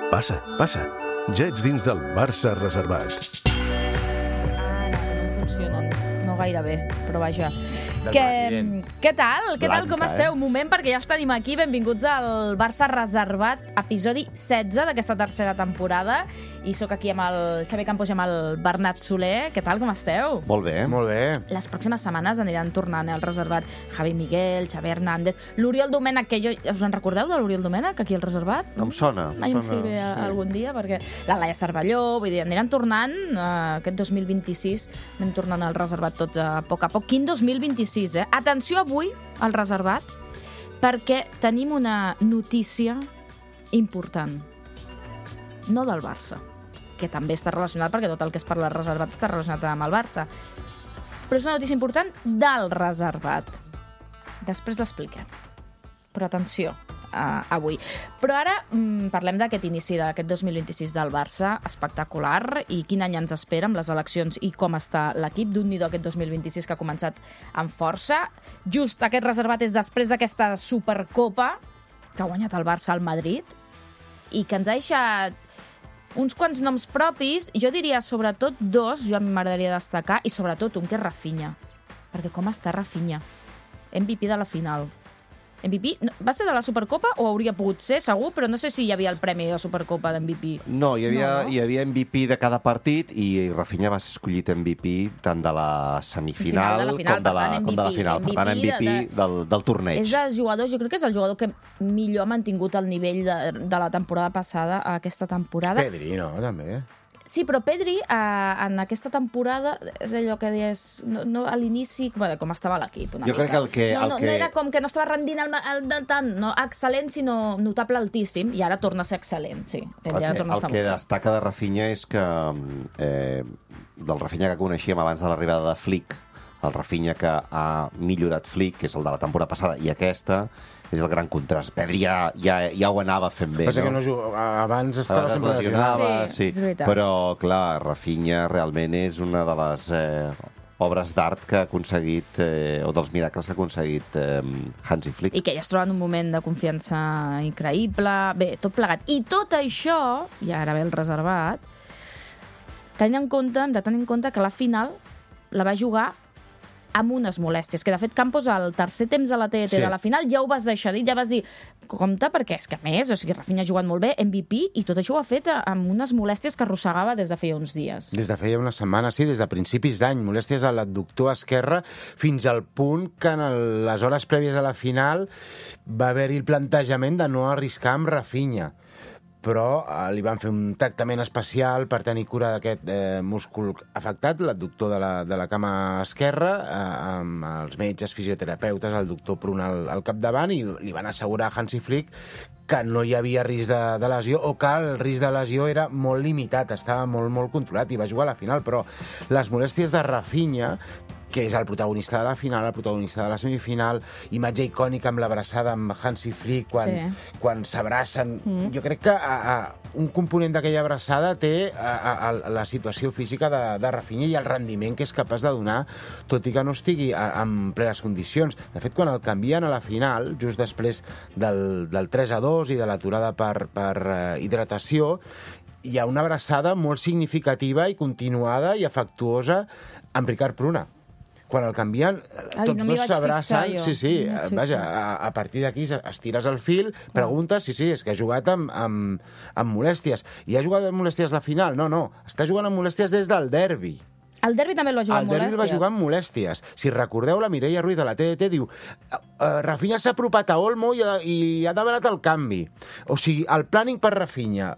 Passa, passa. Ja ets dins del Barça reservat. No funciona. No gaire bé, però vaja. Del Què tal? Què tal? Blanca, Com esteu? Un moment, perquè ja els tenim aquí. Benvinguts al Barça Reservat, episodi 16 d'aquesta tercera temporada. I sóc aquí amb el Xavi Campos i amb el Bernat Soler. Què tal? Com esteu? Molt bé. Molt bé. Les pròximes setmanes aniran tornant al reservat Javi Miguel, Xavi Hernández, l'Oriol Domènech, que us en recordeu de l'Oriol Domènech, aquí al reservat? Em sona. Mai em sé bé algun dia, perquè la Laia Cervelló, vull dir, aniran tornant aquest 2026, anem tornant al reservat tots a poc. Quin 2026, eh? Atenció avui al reservat, perquè tenim una notícia important. No del Barça, que també està relacionat, perquè tot el que es parla del reservat està relacionat amb el Barça. Però és una notícia important del reservat. Després l'expliquem. Però atenció, avui. Però ara parlem d'aquest inici d'aquest 2026 del Barça, espectacular, i quin any ens espera amb les eleccions i com està l'equip. D'un-nido aquest 2026 que ha començat amb força. Just aquest reservat és després d'aquesta Supercopa que ha guanyat el Barça al Madrid i que ens ha deixat uns quants noms propis, jo diria sobretot dos, jo a mi m'agradaria destacar, i sobretot un, que és Rafinha. Perquè com està Rafinha? MVP de la final. MVP va ser de la Supercopa o hauria pogut ser, segur, però no sé si hi havia el premi de la Supercopa d'MVP. No, hi havia MVP de cada partit i Rafinha va ser escollit MVP tant de la semifinal com de la final. Per tant, MVP del torneig. És dels jugadors, jo crec que és el jugador que millor ha mantingut el nivell de la temporada passada a aquesta temporada. Pedri, no? També. Sí, però Pedri, en aquesta temporada, és allò que deies, no, a l'inici, com estava l'equip, una jo mica. Crec que no era com que no estava rendint tant, no excel·lent, sinó notable altíssim, i ara torna a ser excel·lent, sí. El que destaca de Rafinha és que del Rafinha que coneixíem abans de l'arribada de Flick, el Rafinha que ha millorat Flick, que és el de la temporada passada, i aquesta és el gran contrast. Pedri ja ho anava fent bé, Passa que abans estava sempre lesionava, sí. Però, clar, Rafinha realment és una de les obres d'art que ha aconseguit, o dels miracles que ha aconseguit Hansi Flick. I que ja es troba en un moment de confiança increïble. Bé, tot plegat. I tot això, i ara ve el reservat, hem de tenir en compte que la final la va jugar amb unes molèsties, que de fet Campos al tercer temps de la TET de la final ja ho vas deixar dir, ja vas dir, compte, perquè és que a més, o sigui, Rafinha ha jugat molt bé, MVP, i tot això ho ha fet amb unes molèsties que arrossegava des de feia uns dies. Des de feia una setmana, sí, des de principis d'any, molèsties a l'adductor esquerre, fins al punt que en les hores prèvies a la final va haver-hi el plantejament de no arriscar amb Rafinha, però li van fer un tractament especial per tenir cura d'aquest múscul afectat, l'adductor de la cama esquerra, amb els metges, fisioterapeutes, el doctor Pruna al capdavant, i li van assegurar a Hansi Flick que no hi havia risc de lesió, o que el risc de lesió era molt limitat, estava molt, molt controlat, i va jugar a la final. Però les molèsties de Rafinha, que és el protagonista de la final, el protagonista de la semifinal, imatge icònica amb l'abraçada amb Hansi Flick quan s'abracen. Jo crec que un component d'aquella abraçada té la situació física de Rafinha i el rendiment que és capaç de donar, tot i que no estigui en plenes condicions. De fet, quan el canvien a la final, just després del 3-2 i de l'aturada per hidratació, hi ha una abraçada molt significativa i continuada i afectuosa amb Ricard Pruna. Quan el canvien, tots dos s'abracen. Sí, vaja, a partir d'aquí estires el fil, preguntes, sí, és que ha jugat amb molèsties. I ha jugat amb molèsties la final? No, està jugant amb molèsties des del derbi. El derbi també el va jugar amb molèsties. El derbi va jugar amb molèsties. Si recordeu, la Mireia Ruiz de la TDT diu Rafinha s'ha apropat a Olmo i ha demanat el canvi. O sigui, el planning per Rafinha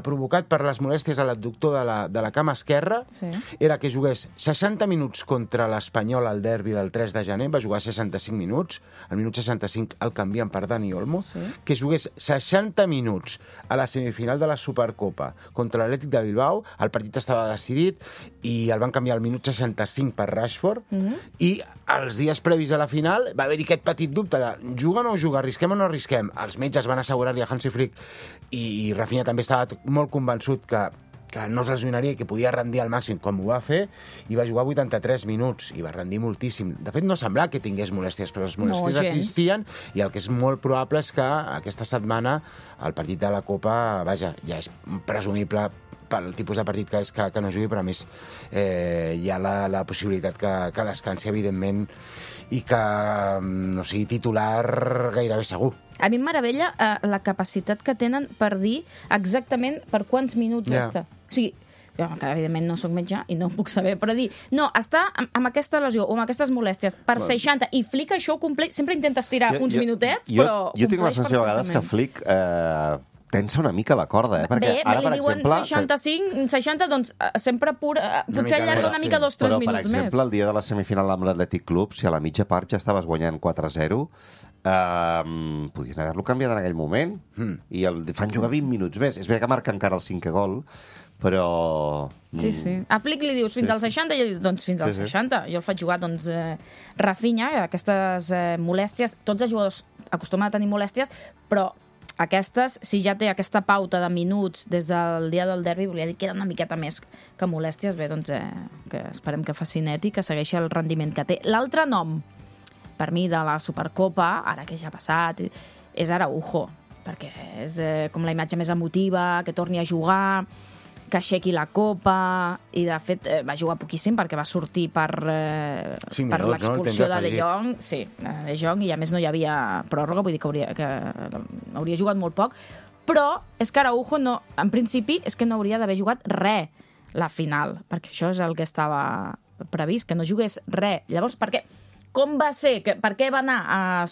provocat per les molèsties a l'adductor de la cama esquerra, era que jugués 60 minuts contra l'Espanyol al derbi del 3 de gener, va jugar 65 minuts, al minut 65 el canvien per Dani Olmo, que jugués 60 minuts a la semifinal de la Supercopa contra l'Atlètic de Bilbao, el partit estava decidit i el van canviar al minut 65 per Rashford, i els dies previs a la final va haver-hi aquest petit dubte de juga o no juga, arrisquem o no arrisquem. Els metges van assegurar-li a Hansi Flick, i Rafinha també estava molt convençut que no es lesionaria i que podia rendir al màxim com ho va fer, i va jugar 83 minuts i va rendir moltíssim. De fet, no semblava que tingués molèsties, però les molèsties existien, i el que és molt probable és que aquesta setmana el partit de la Copa, vaja, ja és presumible pel tipus de partit que és que no jugui, però a més hi ha la possibilitat que descansi, evidentment, i que no sigui titular gairebé segur. A mi em meravella la capacitat que tenen per dir exactament per quants minuts està. O sigui, que evidentment no sóc metge i no puc saber, però dir, no, està amb aquesta lesió o amb aquestes molèsties per 60, i Flick això ho compleix, sempre intenta estirar uns minutets, però jo tinc la sensació a vegades que Flick tensa una mica la corda, perquè ara, li diuen 65, 60, doncs sempre potser allarga una mica 2-3 minuts més. Però, per exemple, el dia de la semifinal amb l'Atlètic Club, si a la mitja part ja estaves guanyant 4-0, podien haver-lo canviat en aquell moment, i el fan jugar 20 minuts més. És bé que marca encara el 5è gol, però... Sí. A Flick li dius fins al 60 i ell diu, doncs fins al 60. Jo el faig jugar, doncs, Rafinha, aquestes molèsties, tots els jugadors acostumen a tenir molèsties, però aquestes, si ja té aquesta pauta de minuts des del dia del derbi, volia dir que era una miqueta més que molèsties. Bé, doncs, que esperem que faci net i que segueixi el rendiment que té. L'altre nom, per mi, de la Supercopa, ara que ja ha passat, és Araujo, perquè és com la imatge més emotiva, que torni a jugar, que aixequi la Copa, i de fet va jugar poquíssim perquè va sortir per l'expulsió de De Jong, De Jong, i a més no hi havia pròrroga, vull dir que hauria jugat molt poc, però és que Araujo en principi és que no hauria d'haver jugat res la final, perquè això és el que estava previst, que no jugués res. Llavors, per què? Com va ser? Per què va anar a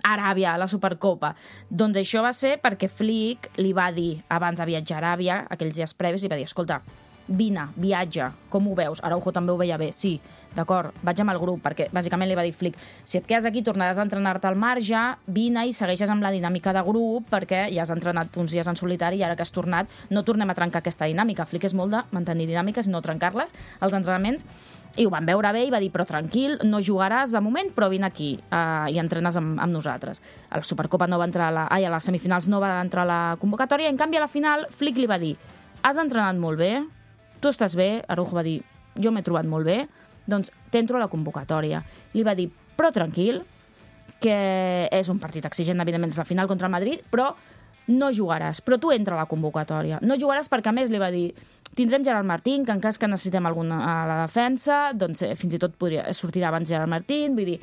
Aràbia, a la Supercopa? Doncs això va ser perquè Flick li va dir, abans de viatjar a Aràbia, aquells dies previs, li va dir, escolta, vine, viatja, com ho veus? Araujo també ho veia bé, sí, d'acord, vaig amb el grup, perquè bàsicament li va dir Flick, si et quedes aquí tornaràs a entrenar-te al marge, vine i segueixes amb la dinàmica de grup, perquè ja has entrenat uns dies en solitari i ara que has tornat no tornem a trencar aquesta dinàmica. Flick és molt de mantenir dinàmiques i no trencar-les als entrenaments, i ho van veure bé i va dir, però tranquil, no jugaràs de moment, però vine aquí i entrenes amb nosaltres. A la Supercopa no va entrar a les semifinals no va entrar a la convocatòria, en canvi a la final Flick li va dir, has entrenat molt bé, tu estàs bé, Araujo va dir, jo m'he trobat molt bé, doncs t'entro a la convocatòria. Li va dir, però tranquil, que és un partit exigent, evidentment és la final contra el Madrid, però no jugaràs, però tu entra a la convocatòria. No jugaràs perquè, a més, li va dir, tindrem Gerard Martín, que en cas que necessitem alguna a la defensa, doncs fins i tot sortirà abans Gerard Martín, vull dir,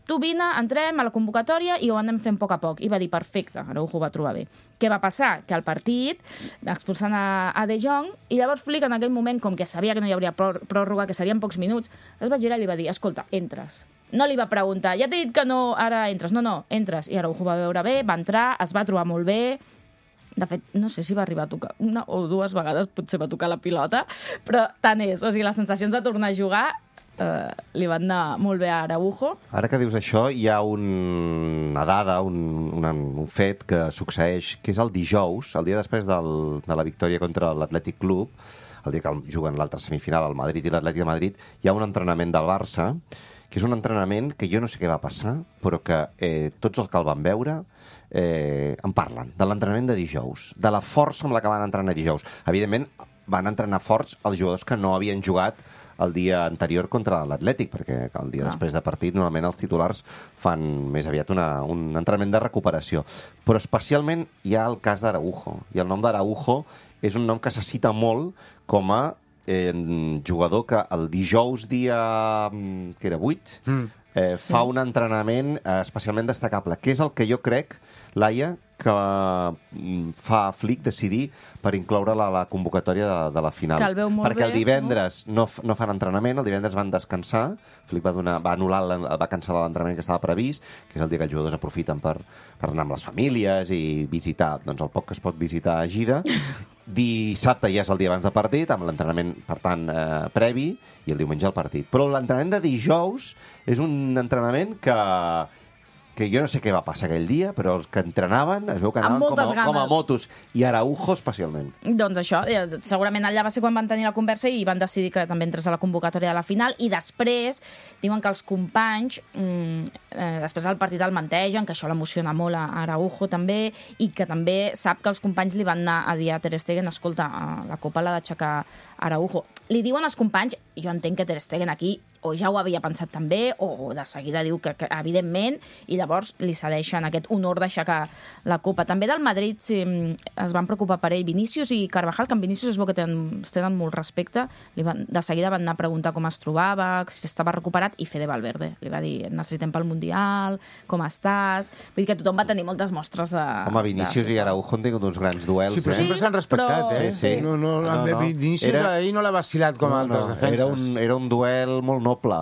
tu vine, entrem a la convocatòria i ho anem fent a poc a poc. I va dir, perfecte, Araujo ho va trobar bé. Què va passar? Que al partit, expulsant a De Jong, i llavors Flick en aquell moment, com que sabia que no hi hauria pròrroga, que serien pocs minuts, es va girar i li va dir, escolta, entres. No li va preguntar, ja t'he dit que no, ara entres. No, entres. I Araujo va veure bé, va entrar, es va trobar molt bé. De fet, no sé si va arribar a tocar una o dues vegades, potser va tocar la pilota, però tant és. O sigui, les sensacions de tornar a jugar li van anar molt bé a Araujo. Ara que dius això, hi ha una dada, un fet que succeeix, que és el dijous, el dia després de la victòria contra l'Atlètic Club, el dia que juguen l'altra semifinal, el Madrid i l'Atlètic de Madrid, hi ha un entrenament del Barça, que és un entrenament que jo no sé què va passar, però que tots els que el van veure en parlen, de l'entrenament de dijous, de la força amb la que van entrenar dijous. Evidentment, van entrenar forts els jugadors que no havien jugat el dia anterior contra l'Atlètic, perquè el dia després de partit normalment els titulars fan més aviat un entrenament de recuperació. Però especialment hi ha el cas d'Araujo, i el nom d'Araujo és un nom que se cita molt com a jugador que el dijous dia, que era 8, fa un entrenament especialment destacable, que és el que jo crec, Laia, que fa Flick decidir per incloure-la a la convocatòria de la final. Que el veu molt perquè bé, el divendres no fan entrenament, el divendres van descansar, Flick va anul·lar, va cancel·lar l'entrenament que estava previst, que és el dia que els jugadors aprofiten per anar amb les famílies i visitar, doncs el poc que es pot visitar a gira. Dissabte ja és el dia abans de partit, amb l'entrenament, per tant, previ, i el diumenge el partit. Però l'entrenament de dijous és un entrenament que que jo no sé què va passar aquell dia, però els que entrenaven es veu que anaven com a motos, i Araujo especialment. Doncs això, segurament allà va ser quan van tenir la conversa i van decidir que també entrés a la convocatòria de la final, i després diuen que els companys després del partit el mentegen, que això l'emociona molt a Araujo també, i que també sap que els companys li van anar a dir a Ter Stegen, escolta, la Copa l'ha d'aixecar Araujo. Li diuen als companys, jo entenc que Ter Stegen aquí o ja ho havia pensat també, o de seguida diu que evidentment, i llavors li cedeixen aquest honor d'aixecar la Copa. També del Madrid es van preocupar per ell Vinícius i Carvajal, que en Vinícius es veu que tenen molt respecte. De seguida van anar a preguntar com es trobava, si estava recuperat, i Fede Valverde li va dir, necessitem pel Mundial, com estàs? Vull dir que tothom va tenir moltes mostres de... Home, Vinícius i Araujo han tingut uns grans duels. Sí, però sempre s'han respectat, però... Sí. Vinícius ahir no l'ha vacilat com altres defenses. Era un duel molt noble,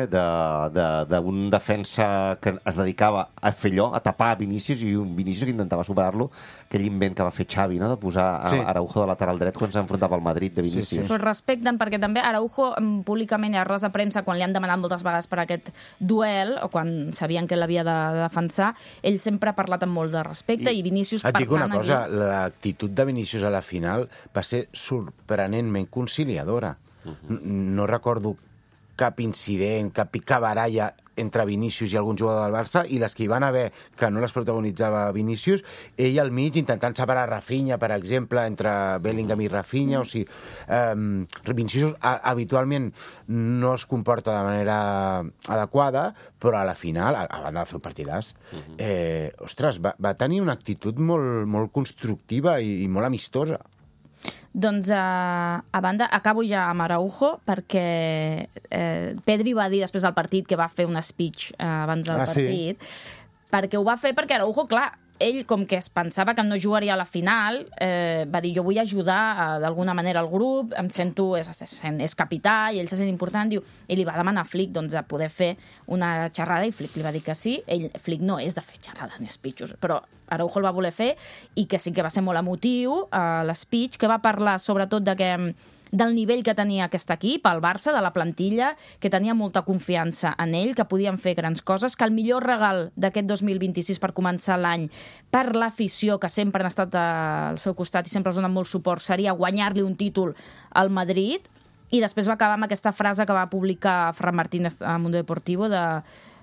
d'un defensa que es dedicava a fer allò, a tapar Vinícius, i un Vinícius que intentava superar-lo, aquell invent que va fer Xavi, no?, de posar Araujo de lateral dret quan s'enfrontava al Madrid de Vinícius. Però respecten, perquè també Araujo públicament i a rosa premsa, quan li han demanat moltes vegades per aquest duel, o quan sabien que l'havia de defensar, ell sempre ha parlat amb molt de respecte, i Vinícius... Et dic una cosa, l'actitud de Vinícius a la final va ser sorprenentment conciliadora. No recordo cap incident, cap picabaralla entre Vinícius i algun jugador del Barça, i les que hi van haver, que no les protagonitzava Vinícius, ell al mig intentant separar Rafinha, per exemple, entre Bellingham i Rafinha, o sigui, Vinícius habitualment no es comporta de manera adequada, però a la final, a banda de fer partidàs, ostres, va tenir una actitud molt constructiva i molt amistosa. Doncs, a banda, acabo ja amb Araujo, perquè Pedri va dir després del partit que va fer un speech abans del partit, perquè ho va fer perquè Araujo, clar, ell, com que es pensava que no jugaria a la final, va dir, jo vull ajudar d'alguna manera al grup, em sento, és capità, i ell se sent important, diu, i li va demanar a Flick a poder fer una xerrada, i Flick li va dir que sí. Flick no és de fer xerrades ni speeches, però Araujo el va voler fer, i que sí que va ser molt emotiu, l'speech, que va parlar sobretot del nivell que tenia aquest equip, el Barça, de la plantilla, que tenia molta confiança en ell, que podien fer grans coses, que el millor regal d'aquest 2026 per començar l'any per l'afició, que sempre han estat al seu costat i sempre els donen molt suport, seria guanyar-li un títol al Madrid. I després va acabar amb aquesta frase que va publicar Fran Martínez a Mundo Deportivo,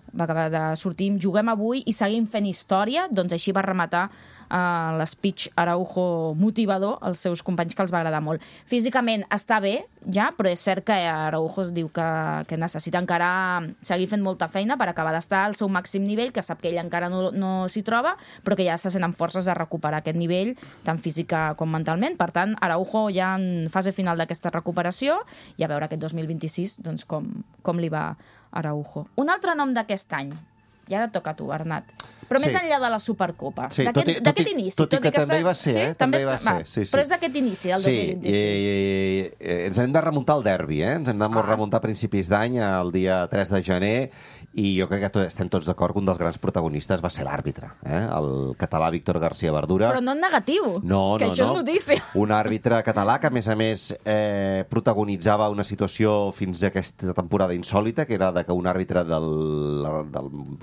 va acabar de sortir, juguem avui i seguim fent història. Doncs així va rematar l'speech Araujo motivador als seus companys, que els va agradar molt. Físicament està bé, ja, però és cert que Araujo diu que necessita encara seguir fent molta feina per acabar d'estar al seu màxim nivell, que sap que ell encara no s'hi troba, però que ja se sent amb forces de recuperar aquest nivell, tant física com mentalment. Per tant, Araujo ja en fase final d'aquesta recuperació, i a veure aquest 2026 doncs, com li va Araujo. Un altre nom d'aquest any, i ara toca a tu, Bernat, però més enllà de la Supercopa, d'aquest inici. Tot i que també hi va ser, també hi va ser. Però és d'aquest inici, el 2026. Ens hem de remuntar al derbi, ens hem de remuntar a principis d'any, el dia 3 de gener, i jo crec que estem tots d'acord que un dels grans protagonistes va ser l'àrbitre, el català Víctor García Verdura. Però no en negatiu, que això és notícia. Un àrbitre català que, a més, protagonitzava una situació fins a aquesta temporada insòlita, que era que un àrbitre del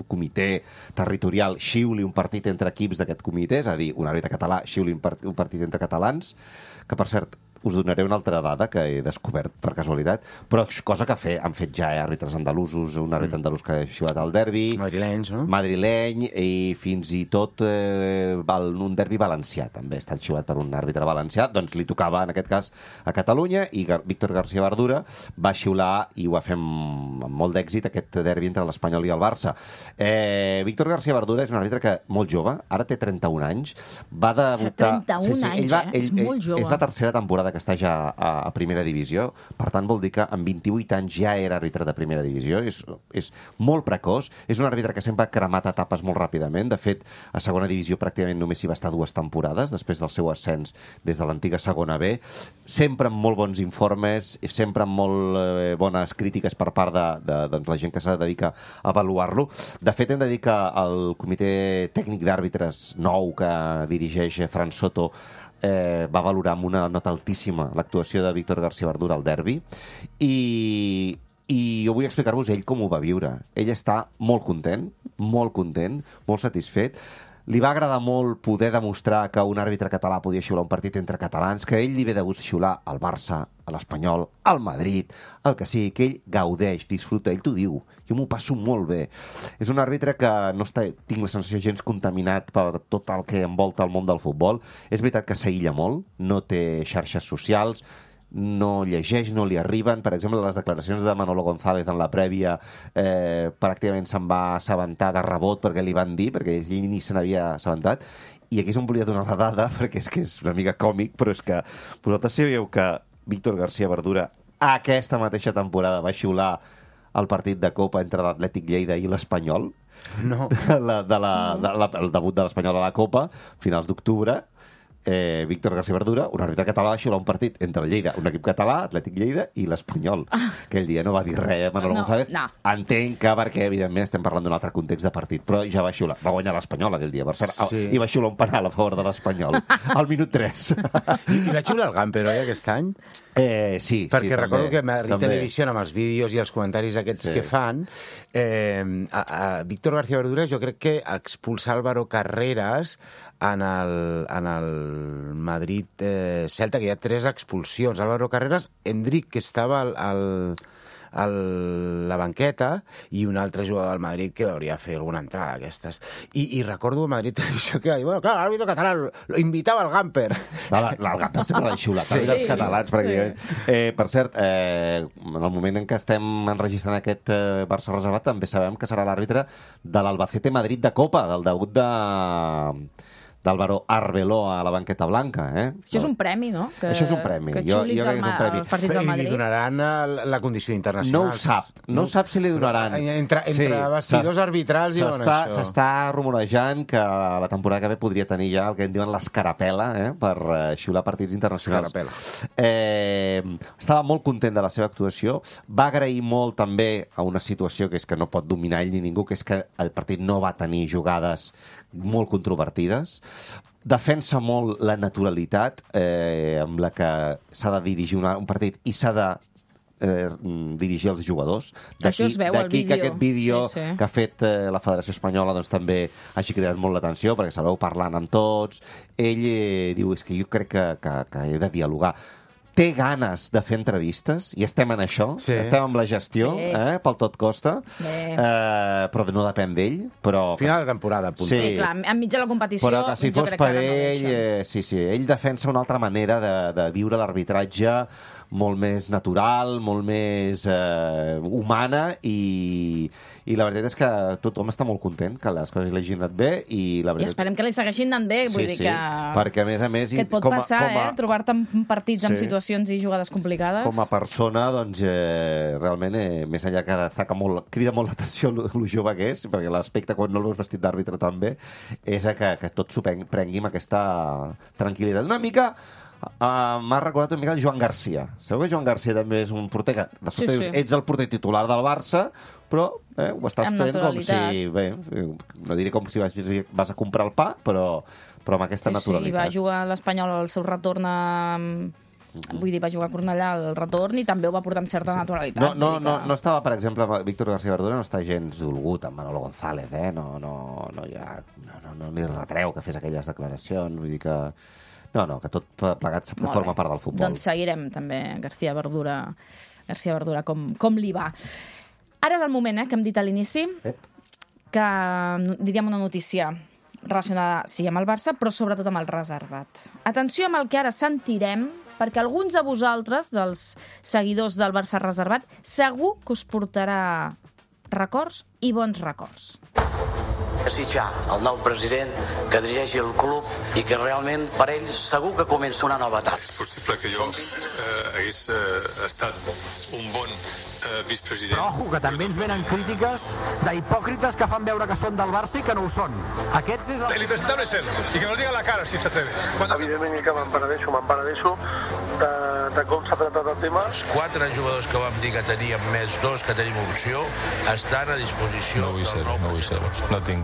comitè territorial xiuli un partit entre equips d'aquest comitè, és a dir, un àrbitre català xiuli un partit entre catalans, que, per cert, us donaré una altra dada que he descobert per casualitat, però cosa que han fet ja àrbitres andalusos, un àrbitre andalús que ha xiulat al derbi, madrilenys, no? Madrileny, i fins i tot un derbi valencià també ha estat xiulat per un àrbitre valencià. Doncs li tocava, en aquest cas, a Catalunya, i Víctor García Verdura va xiular, i ho va fer amb molt d'èxit, aquest derbi entre l'Espanyol i el Barça. Víctor García Verdura és un àrbitre que, molt jove, ara té 31 anys, va debutar... 31 anys, és molt jove. És la tercera temporada que està ja a primera divisió, per tant vol dir que amb 28 anys ja era àrbitre de primera divisió, és molt precoç, és un àrbitre que sempre ha cremat etapes molt ràpidament. De fet, a segona divisió pràcticament només hi va estar 2 temporades després del seu ascens des de l'antiga segona B, sempre amb molt bons informes, sempre amb molt bones crítiques per part de la gent que s'ha de dedicar a avaluar-lo. De fet, hem de dir que el comitè tècnic d'àrbitres nou que dirigeix Fran Soto va valorar amb una nota altíssima l'actuació de Víctor García Verdura al derbi, i jo vull explicar-vos ell com ho va viure. Ell està molt content, molt content, molt satisfet. Li va agradar molt poder demostrar que un àrbitre català podia xiular un partit entre catalans, que a ell li ve de gust xiular al Barça, a l'Espanyol, al Madrid, el que sigui, que ell gaudeix, disfruta, ell t'ho diu. Jo m'ho passo molt bé. És un àrbitre que no està, tinc la sensació, gens contaminat per tot el que envolta el món del futbol. És veritat que s'aïlla molt, no té xarxes socials, no llegeix, no li arriben. Per exemple, les declaracions de Manolo González en la prèvia pràcticament se'n va assabentar de rebot perquè li van dir, perquè ell ni se n'havia assabentat. I aquí és on volia donar la dada, perquè és que és una mica còmic, però és que vosaltres sabeu que Víctor García Verdura aquesta mateixa temporada va xiular el partit de Copa entre l'Atlètic Lleida i l'Espanyol? No. El debut de l'Espanyol a la Copa, finals d'octubre. Víctor García Verdura, un àrbitre català, va xiular un partit entre el Lleida, un equip català, Atlètic Lleida, i l'Espanyol. Aquell dia no va dir res Manolo González. No. Entenc que perquè, evidentment, estem parlant d'un altre context de partit, però ja va xiular. Va guanyar l'Espanyol aquell dia, per cert, Sí. i va xiular un penal a favor de l'Espanyol, al minut 3. I va xiular el Gamper, oi, aquest any? Sí, Perquè sí, recordo que Madrid també. Televisió, amb els vídeos i els comentaris aquests Sí. que fan, a Víctor García Verdura jo crec que expulsar Álvaro Carreras en el Madrid Celta, que hi ha 3 expulsions. Álvaro Carreras, Endrick, que estava a la banqueta, i un altre jugador del Madrid que hauria de fer alguna entrada d'aquestes. I recordo a Madrid Televisió que va dir, bueno, clar, l'àrbitre català lo invitava al Gamper. El Gamper sempre l'ha xiulat, Sí. els catalans, pràcticament. Per cert, en el moment en què estem enregistrant aquest Barça reservat, també sabem que serà l'àrbitre de l'Albacete Madrid de Copa, del debut d'Álvaro Arbeloa a la banqueta blanca. Això és un premi, no? Això és un premi. Que Jo xulis crec que és un premi. els partits del I li Madrid. donaran la condició internacional. No ho sap. No sap si li donaran. Entre vestidors arbitrals diuen això. S'està rumorejant que la temporada que ve podria tenir ja el que en diuen l'escarapela per xiular partits internacionals. Estava molt content de la seva actuació. Va agrair molt també a una situació que és que no pot dominar ell ni ningú, que és que el partit no va tenir jugades molt controvertides. Defensa molt la naturalitat amb la que s'ha de dirigir un partit i s'ha de dirigir els jugadors. Això es veu al D'aquí que vídeo. aquest vídeo Sí. que ha fet la Federació Espanyola doncs, també hagi cridat molt l'atenció, perquè se veu parlant amb tots. Ell diu, és que jo crec que he de dialogar. Té ganes de fer entrevistes, i estem en això, Sí. estem amb la gestió, pel tot costa, però no depèn d'ell. Però Final de temporada, punt. Sí, clar, enmig de la competició, però que si jo fos crec per que ara no ell, deixen. ell defensa una altra manera de viure l'arbitratge, molt més natural, molt més humana, i la veritat és que tothom està molt content, que les coses li hagin anat bé, i la I veritat... esperem que li segueixin anant bé, vull dir que... perquè a més... Que et pot passar, trobar-te en partits amb situacions i jugades complicades. Com a persona, doncs, realment, més enllà que destaca molt, crida molt l'atenció el jove que és, perquè l'aspecte quan no el veus vestit d'àrbitre també, és que tot s'ho prengui amb aquesta tranquil·litat. Una mica... m'ha recordat una mica el Joan Garcia. Sabeu que Joan Garcia també és un porter que de sobte dius, ets el porter titular del Barça, però ho estàs fent com si... No diré com si vas a comprar el pa, però amb aquesta naturalitat. Sí, va jugar a l'Espanyol al seu retorn Vull dir, va jugar a Cornellà al retorn i també ho va portar amb certa naturalitat. No estava, per exemple, Víctor García Verdura no està gens dolgut amb Manolo González, No li retreu que fes aquelles declaracions, vull dir que... No, que tot plegat forma part del futbol. Doncs seguirem també García Verdura com li va. Ara és el moment, que hem dit a l'inici, que diríem una notícia relacionada, sí, amb el Barça, però sobretot amb el reservat. Atenció amb el que ara sentirem, perquè alguns de vosaltres, dels seguidors del Barça reservat, segur que us portarà records i bons records. Desitjar al nou president que dirigeixi el club i que realment per ell segur que comença una nova etapa. És possible que jo hagués estat un bon vicepresident. Però ojo, que també ens venen crítiques d'hipòcrites que fan veure que són del Barça i que no ho són. Aquests és el... El impresentable és ell, i que nos diga la cara si s'atreve. Evidentment que me'n penedeixo de com s'ha tratat el tema. Els 4 jugadors que vam dir que teníem més 2 que tenim opció estan a disposició. No vull ser. No tinc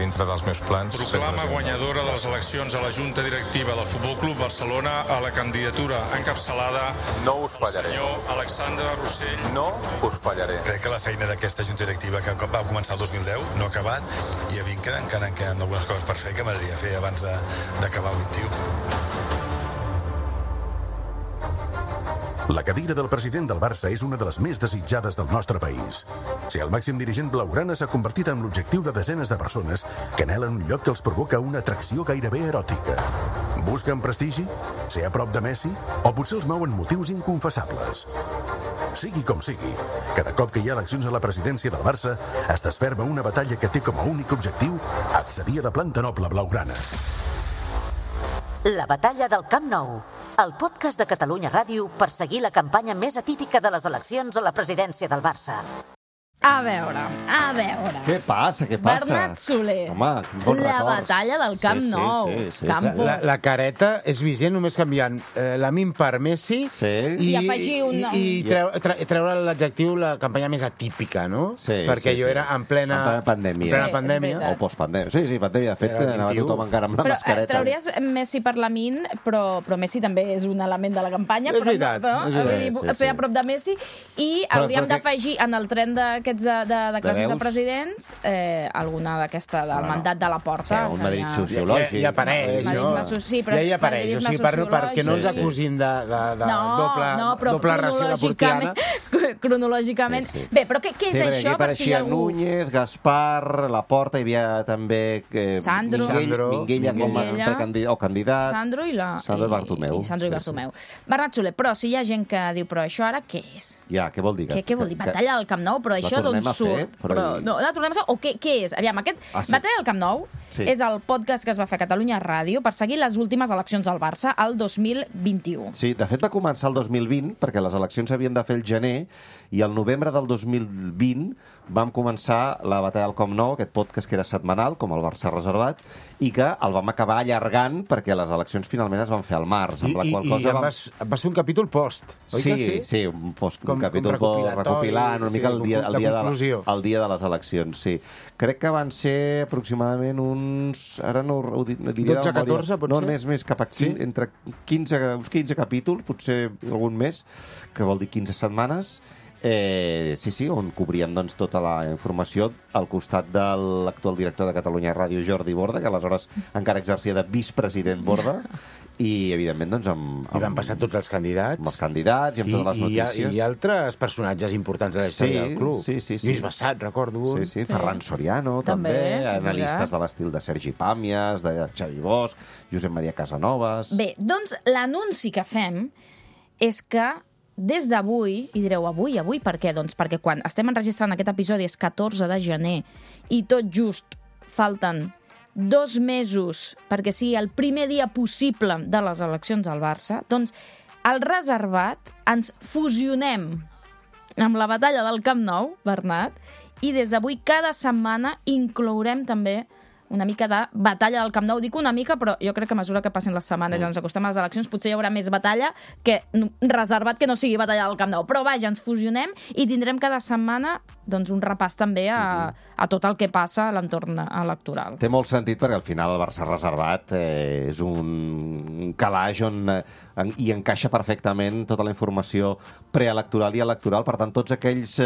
dintre dels meus plans. Proclama guanyadora de les eleccions a la Junta Directiva del Futbol Club Barcelona a la candidatura encapçalada No us fallaré. senyor Alexandre Rossell. No us fallaré. Crec que la feina d'aquesta Junta Directiva que va començar el 2010 no ha acabat i a mi encara en queden algunes coses per fer que m'agradaria fer abans d'acabar el 21. La cadira del president del Barça és una de les més desitjades del nostre país. Ser el màxim dirigent blaugrana s'ha convertit en l'objectiu de desenes de persones que anhelen un lloc que els provoca una atracció gairebé eròtica. Busquen prestigi? Ser a prop de Messi? O potser els mouen motius inconfessables? Sigui com sigui, cada cop que hi ha eleccions a la presidència del Barça es desferma una batalla que té com a únic objectiu accedir a la planta noble blaugrana. La batalla del Camp Nou, el podcast de Catalunya Ràdio per seguir la campanya més atípica de les eleccions a la presidència del Barça. A veure. Què passa? Bernat Soler. Home, bons la records. batalla del Camp Nou. Sí. Campos. La careta és vigent només canviant la min per Messi I afegir i treure l'adjectiu la campanya més atípica, no? Perquè jo era en plena pandèmia. O postpandèmia. Sí, pandèmia. De fet, anava tothom encara amb la mascareta. Trauries Messi per la min, però Messi també és un element de la campanya. És veritat. Fer a prop de Messi i hauríem d'afegir en el tren d'aquests de declaracions de presidents alguna d'aquesta del mandat de la Porta. Un Madrid sociològic. Ja apareix, no? Ja hi apareix. O sigui, perquè no ens acusin de doble ració laportiana. Cronològicament. Bé, però què és això? Per si algú... Núñez, Gaspar, Laporta, hi havia també Minguella com a candidat. Sandro i Bartomeu. Sandro i Bartomeu. Bernat Soler, però si hi ha gent que diu però això ara què és? Ja, què vol dir? Què vol dir? Batalla del Camp Nou, però això d'on surt? No, la tornem a fer? O què és? Aviam, aquest Batalla del Camp Nou és el podcast que es va fer a Catalunya Ràdio per seguir les últimes eleccions al Barça el 2021. Sí, de fet va començar el 2020 perquè les eleccions s'havien de fer el gener i el novembre del 2020 vam començar la Batalla del Camp Nou, aquest podcast que era setmanal, com el Barça reservat, i que el vam acabar allargant perquè les eleccions finalment es van fer al març. I vas fer un capítol post, oi que sí? Sí, un capítol post recopilant una mica el dia de les eleccions, sí. Crec que van ser aproximadament uns... Ara no ho diria... 12-14, potser? No, més cap aquí, entre 15 capítols, potser algun més, que vol dir 15 setmanes. On cobríem tota la informació al costat de l'actual director de Catalunya Ràdio, Jordi Borda, que aleshores encara exercia de vicepresident Borda, i evidentment I van passar tots els candidats. Amb els candidats i amb totes les notícies. I altres personatges importants de la història del club. Sí. Lluís Bassat, recordo un. Sí, Ferran Soriano, també. Analistes de l'estil de Sergi Pàmies, de Xavi Bosch, Josep Maria Casanovas... Bé, doncs l'anunci que fem és que des d'avui, i direu avui per què? Doncs perquè quan estem enregistrant aquest episodi és 14 de gener i tot just falten 2 mesos perquè sigui el primer dia possible de les eleccions al Barça, doncs al reservat ens fusionem amb la batalla del Camp Nou, Bernat, i des d'avui cada setmana inclourem també una mica de batalla del Camp Nou. Dic una mica, però jo crec que a mesura que passen les setmanes i ens acostem a les eleccions potser hi haurà més batalla que reservat que no sigui batalla del Camp Nou. Però vaja, ens fusionem i tindrem cada setmana un repàs també a tot el que passa a l'entorn electoral. Té molt sentit perquè al final el Barça reservat és un calaix on hi encaixa perfectament tota la informació preelectoral i electoral. Per tant, tots aquells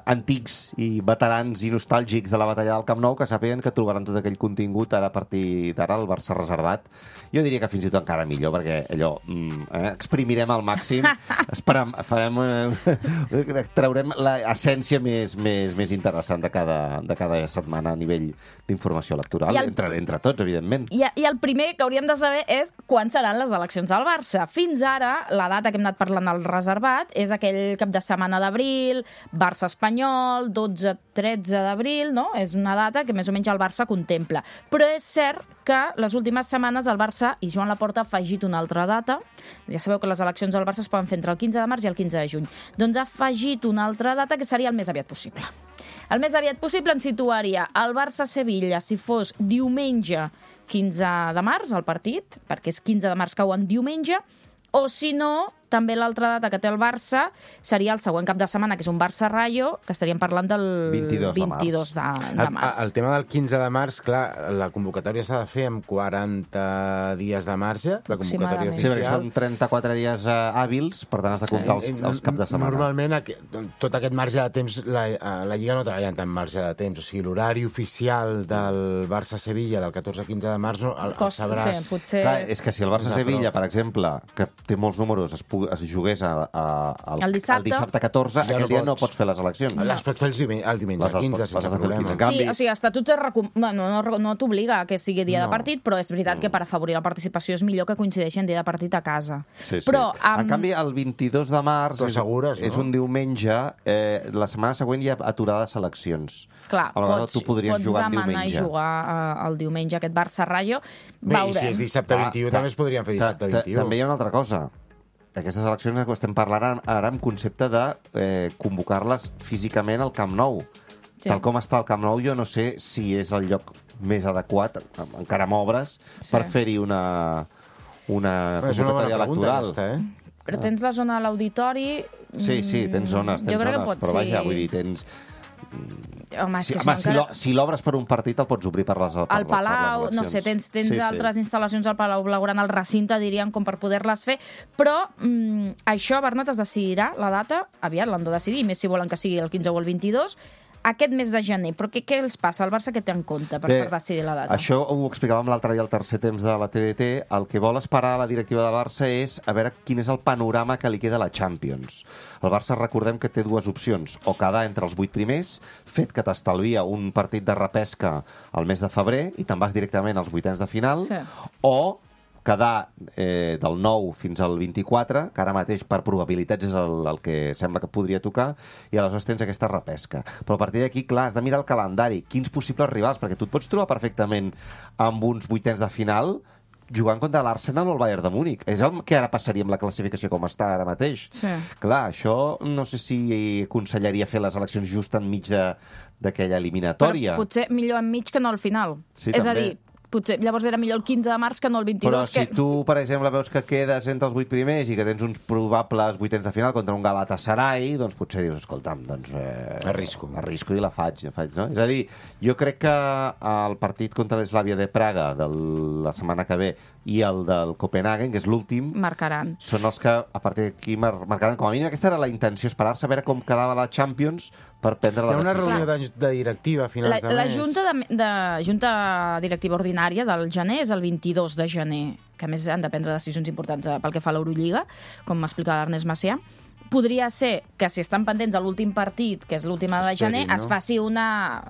antics i veterans i nostàlgics de la batalla del Camp Nou que sàpiguen que trobaran tot aquell contingut ara a partir d'ara al Barça reservat. Jo diria que fins i tot encara millor, perquè allò exprimirem al màxim, traurem l'essència més interessant de cada setmana a nivell d'informació electoral, entre tots, evidentment. I el primer que hauríem de saber és quan seran les eleccions al Barça. Fins ara, la data que hem anat parlant al reservat és aquell cap de setmana d'abril, Barça-Espanyol, 12-13 d'abril, no? És una data que més o menys el Barça contempla. Però és cert que les últimes setmanes el Barça i Joan Laporta ha afegit una altra data. Ja sabeu que les eleccions al Barça es poden fer entre el 15 de març i el 15 de juny. Doncs ha afegit una altra data que seria el més aviat possible. El més aviat possible ens situaria el Barça-Sevilla si fos diumenge 15 de març, el partit, perquè és 15 de març cau en diumenge, o si no, també l'altra data que té el Barça seria el següent cap de setmana, que és un Barça-Rayo, que estaríem parlant del 22 de març. El tema del 15 de març, clar, la convocatòria s'ha de fer amb 40 dies de marge, la convocatòria Sí, perquè oficial. són 34 dies hàbils, per tant has de comptar els caps de setmana. Normalment, tot aquest marge de temps, la Lliga no treballa en tant marge de temps. O sigui, l'horari oficial del Barça-Sevilla del 14-15 de març el sabràs. Sí, potser... Clar, és que si el Barça-Sevilla, per exemple, que té molts números, es jugués el dissabte 14, aquell dia no pots fer les eleccions. Les pots fer el diumenge 15, sense problema. Sí, o sigui, estatuts no t'obliga que sigui dia de partit, però és veritat que per afavorir la participació és millor que coincideixi en dia de partit a casa. Però, en canvi, el 22 de març és un diumenge, la setmana següent hi ha aturada de seleccions. Clar, pots demanar i jugar el diumenge aquest Barça-Rayo. Bé, i si és dissabte 21, també es podrien fer dissabte 21. També hi ha una altra cosa. Aquestes eleccions que estem parlant ara en concepte de convocar-les físicament al Camp Nou. Sí. Tal com està el Camp Nou, jo no sé si és el lloc més adequat, encara amb obres, per fer-hi una convocatòria electoral. Però tens la zona a l'auditori... Sí, tens zones, però vaja, vull dir, tens... Home, si l'obres per un partit el pots obrir per les eleccions. Al Palau, no sé, tens altres instal·lacions al Palau Blaugrana, al recinte, diríem, com per poder-les fer, però això, Bernat, es decidirà, la data, aviat l'han de decidir, més si volen que sigui el 15 o el 22, aquest mes de gener. Però què els passa? El Barça què té en compte per decidir la data? Això ho explicàvem l'altre dia al tercer temps de la TDT. El que vol esperar la directiva del Barça és a veure quin és el panorama que li queda a la Champions. El Barça, recordem que té dues opcions. O quedar entre els 8 primers, fet que t'estalvia un partit de repesca al mes de febrer i te'n vas directament als vuitens de final, o quedar del 9 fins al 24, que ara mateix per probabilitats és el que sembla que podria tocar, i aleshores tens aquesta repesca. Però a partir d'aquí, clar, has de mirar el calendari, quins possibles rivals, perquè tu et pots trobar perfectament amb uns vuitens de final jugant contra l'Arsenal o el Bayern de Múnich. És el que ara passaria amb la classificació com està ara mateix. Clar, això no sé si aconsellaria fer les eleccions just enmig d'aquella eliminatòria. Però potser millor enmig que no al final. És a dir, potser llavors era millor el 15 de març que no el 22. Però si tu, per exemple, veus que quedes entre els 8 primers i que tens uns probables vuitens de final contra un Galatasaray, doncs potser dius, escolta'm, doncs... Arrisco i la faig, no? És a dir, jo crec que el partit contra l'Eslavia de Praga de la setmana que ve i el del Copenhagen, que és l'últim... Marcaran. Són els que, a partir d'aquí, marcaran. Com a mínim, aquesta era la intenció, esperar-se a veure com quedava la Champions per prendre la decisió. Hi ha una reunió de directiva a finals de mes. La junta directiva ordinària del gener és el 22 de gener, que a més han de prendre decisions importants pel que fa a l'Eurolliga, com m'explica l'Ernest Macià. Podria ser que si estan pendents de l'últim partit, que és l'última de gener, es faci una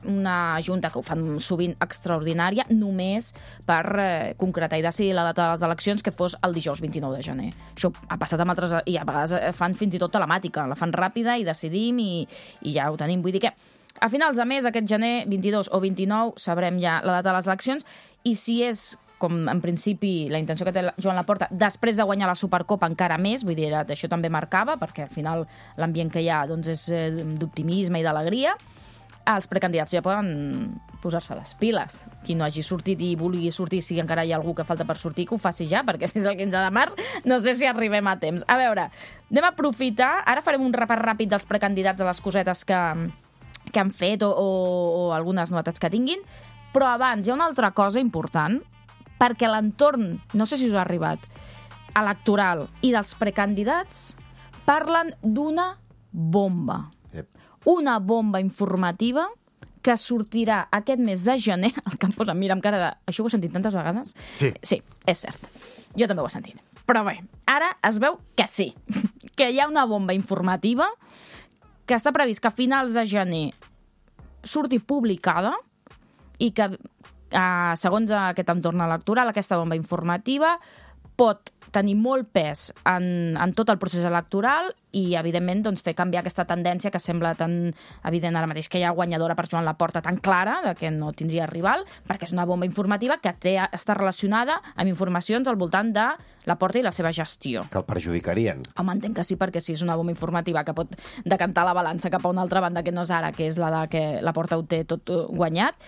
junta, que ho fan sovint extraordinària, només per concretar i decidir la data de les eleccions, que fos el dijous 29 de gener. Això ha passat amb altres... I a vegades fan fins i tot telemàtica, la fan ràpida i decidim i ja ho tenim. Vull dir que a finals de mes, aquest gener, 22 o 29, sabrem ja la data de les eleccions, i si és, com en principi la intenció que té Joan Laporta, després de guanyar la Supercopa encara més, vull dir, això també marcava, perquè al final l'ambient que hi ha doncs, és d'optimisme i d'alegria, els precandidats ja poden posar-se les piles. Qui no hagi sortit i vulgui sortir, si encara hi ha algú que falta per sortir, que ho faci ja, perquè si és el 15 de març no sé si arribem a temps. A veure, anem a aprofitar, ara farem un repàs ràpid dels precandidats, de les cosetes que han fet o algunes novetats que tinguin, però abans hi ha una altra cosa important, perquè l'entorn, no sé si us ha arribat, electoral i dels precandidats parlen d'una bomba. Una bomba informativa que sortirà aquest mes de gener. El que em posa, mira, amb cara de... Això ho he sentit tantes vegades? Sí, és cert. Jo també ho he sentit. Però bé, ara es veu que sí, que hi ha una bomba informativa que està previst que a finals de gener surti publicada i que segons aquest entorn electoral, aquesta bomba informativa pot tenir molt pes en tot el procés electoral i, evidentment, doncs, fer canviar aquesta tendència que sembla tan evident ara mateix, que hi ha guanyadora per Joan Laporta tan clara, de que no tindria rival, perquè és una bomba informativa que està relacionada amb informacions al voltant de Laporta i la seva gestió. Que el perjudicarien. Home, entenc que sí, perquè si és una bomba informativa que pot decantar la balança cap a una altra banda que no és ara, que és la de que Laporta ho té tot guanyat.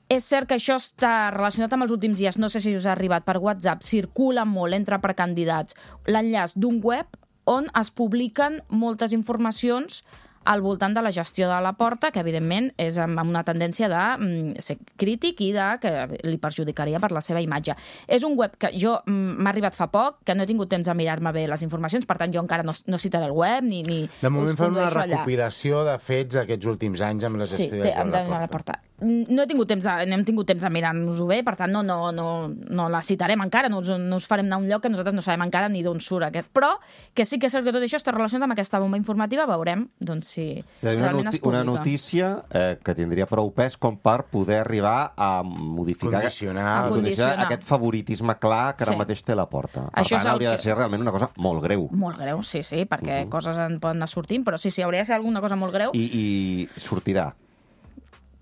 És cert que això està relacionat amb els últims dies, no sé si us ha arribat per WhatsApp, circula molt entre precandidats l'enllaç d'un web on es publiquen moltes informacions al voltant de la gestió de Laporta, que evidentment és amb una tendència de ser crític i que li perjudicaria per la seva imatge. És un web que m'ha arribat fa poc, que no he tingut temps de mirar-me bé les informacions, per tant jo encara no citaré el web ni de moment fan una recopilació de fets d'aquests últims anys amb la gestió de Laporta. No hem tingut temps de mirar-nos-ho bé, per tant no la citarem encara, no us farem anar a un lloc que nosaltres no sabem encara ni d'on surt aquest. Però que sí que és cert que tot això està relacionat amb aquesta bomba informativa, veurem si realment es publica. Una notícia que tindria prou pes com per poder arribar a modificar aquest favoritisme clar que ara mateix té Laporta. Per tant, hauria de ser realment una cosa molt greu. Molt greu, sí, perquè coses en poden anar sortint, però sí, hauria de ser alguna cosa molt greu. I sortirà.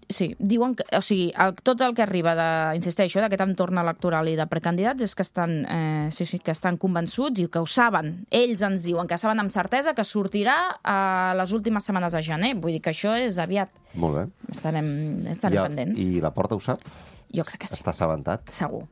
Sí, diuen que, tot el que arriba insisteixo, d'aquest entorn electoral i de precandidats és que estan convençuts i que ho saben. Ells ens diuen que saben amb certesa que sortirà a les últimes setmanes de gener. Vull dir que això és aviat. Molt bé. Estarem pendents. I Laporta ho sap? Jo crec que sí. Està assabentat? Segur,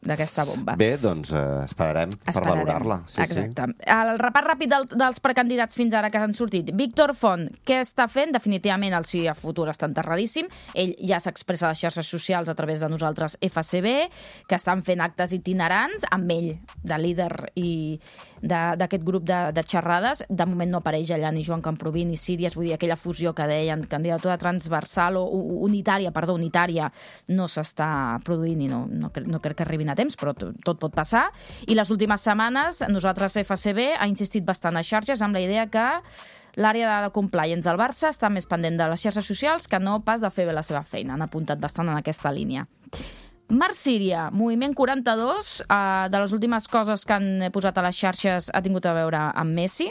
d'aquesta bomba. Bé, doncs esperarem per valorar-la. Exacte. El repàs ràpid dels precandidats fins ara que han sortit. Víctor Font, què està fent? Definitivament el sí a futur està enterradíssim. Ell ja s'expressa a les xarxes socials a través de nosaltres FCB, que estan fent actes itinerants amb ell, de líder i d'aquest grup de xerrades. De moment no apareix allà ni Joan Camproví ni Síries, vull dir, aquella fusió que deien, candidatura transversal o unitària no s'està produint i no crec que arribin a temps, però tot pot passar. I les últimes setmanes nosaltres FCB ha insistit bastant a xarxes amb la idea que l'àrea de compliance del Barça està més pendent de les xarxes socials que no pas de fer bé la seva feina. Han apuntat bastant en aquesta línia. Marc Síria, Moviment 42, de les últimes coses que han posat a les xarxes ha tingut a veure amb Messi.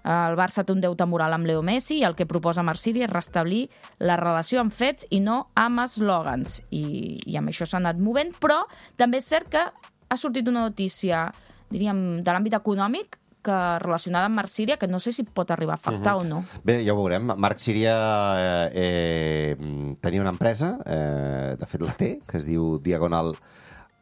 El Barça té un deute moral amb Leo Messi i el que proposa Marc Síria és restablir la relació amb fets i no amb eslògans. I amb això s'ha anat movent, però també és cert que ha sortit una notícia, diríem, de l'àmbit econòmic, relacionada amb Marc Síria, que no sé si pot arribar a afectar o no. Bé, ja ho veurem. Marc Síria tenia una empresa, de fet la té, que es diu Diagonal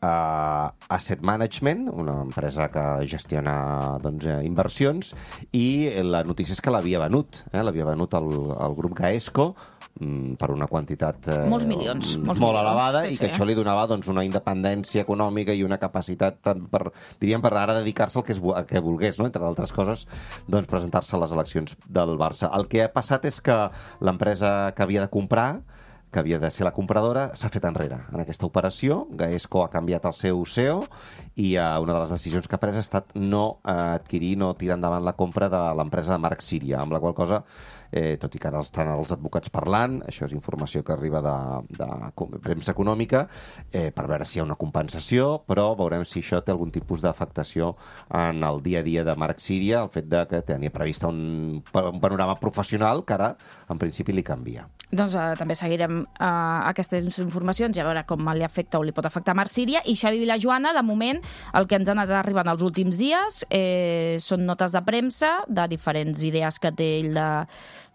Asset Management, una empresa que gestiona inversions, i la notícia és que l'havia venut. L'havia venut al grup Gaesco per una quantitat molts milions, molt elevada, i que això li donava una independència econòmica i una capacitat per ara dedicar-se al que volgués, entre d'altres coses, presentar-se a les eleccions del Barça. El que ha passat és que l'empresa que havia de comprar, que havia de ser la compradora, s'ha fet enrere en aquesta operació. Gaesco ha canviat el seu CEO i una de les decisions que ha pres ha estat no adquirir, no tirar endavant la compra de l'empresa de Marc Síria, amb la qual cosa, tot i que ara estan els advocats parlant, això és informació que arriba de premsa econòmica, per veure si hi ha una compensació, però veurem si això té algun tipus d'afectació en el dia a dia de Marc Síria, el fet que tenia previst un panorama professional que ara, en principi, li canvia. Doncs també seguirem aquestes informacions i a veure com li afecta o li pot afectar a Marc Síria. I Xavi Vilajoana, de moment, el que ens ha anat arribant els últims dies són notes de premsa de diferents idees que té ell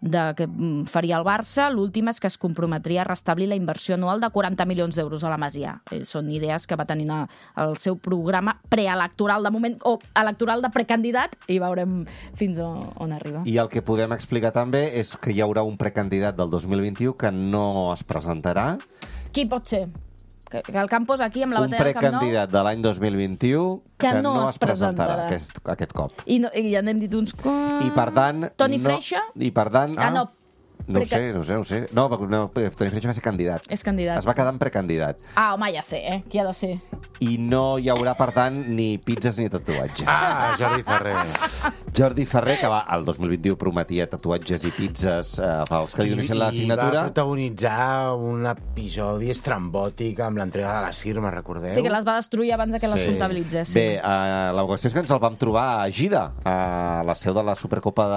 que faria el Barça. L'última és que es comprometria a restablir la inversió anual de 40 milions d'euros a la Masia. Són idees que va tenir el seu programa preelectoral de moment, o electoral de precandidat, i veurem fins on arriba. I el que podem explicar també és que hi haurà un precandidat del 2021 que no es presentarà. Qui pot ser? Que el Campos aquí amb la batalla del Camp Nou... Un precandidat de l'any 2021 que no es presentarà aquest cop. I ja n'hem dit uns... I per tant... Toni Freixa? I per tant... no. No ho sé. No, Toni Freixa va ser candidat. És candidat. Es va quedar en precandidat. Home, ja sé, qui ha de ser. I no hi haurà, per tant, ni pizzas ni tatuatges. Jordi Ferrer. Jordi Ferrer, que el 2021 prometia tatuatges i pizzas pels que li donessin la signatura. I va protagonitzar un episodi estrambòtic amb l'entrega de les firmes, recordeu? Sí, que les va destruir abans que les comptabilitzessin. Bé, la qüestió és que ens el vam trobar a Gida, a la seu de la Supercopa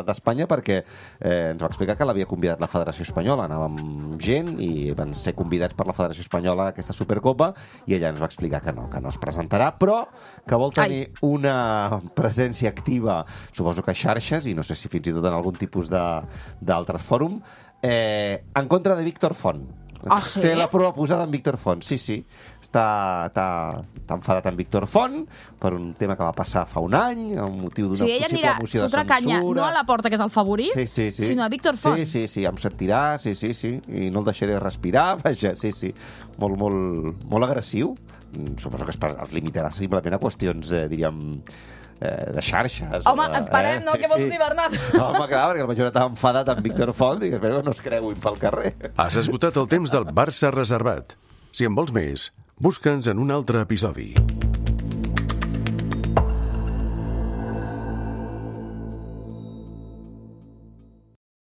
d'Espanya, perquè ens va explicar que l'havia convidat la Federació Espanyola. Anàvem amb gent i van ser convidats per la Federació Espanyola a aquesta Supercopa i ella ens va explicar que no es presentarà, però que vol tenir una presència activa, suposo que a xarxes, i no sé si fins i tot en algun tipus d'altres fòrum, en contra de Víctor Font. sí? Té la prova posada en Víctor Font, sí. Està enfadat en Víctor Font per un tema que va passar fa un any, amb motiu d'una possible moció de censura. Canya, no a la Porta, que és el favorit, sinó a Víctor Font. Sí, em sentirà, sí, i no el deixaré respirar, vaja, sí. Molt agressiu. Suposo que es limitarà simplement a qüestions, diríem, de xarxes. Home, esperem, no? Què vols dir, Bernat? Home, clar, perquè el major estava enfadat amb Víctor Font i espero que no es creuin pel carrer. Has esgotat el temps del Barça reservat. Si en vols més, busca'ns en un altre episodi.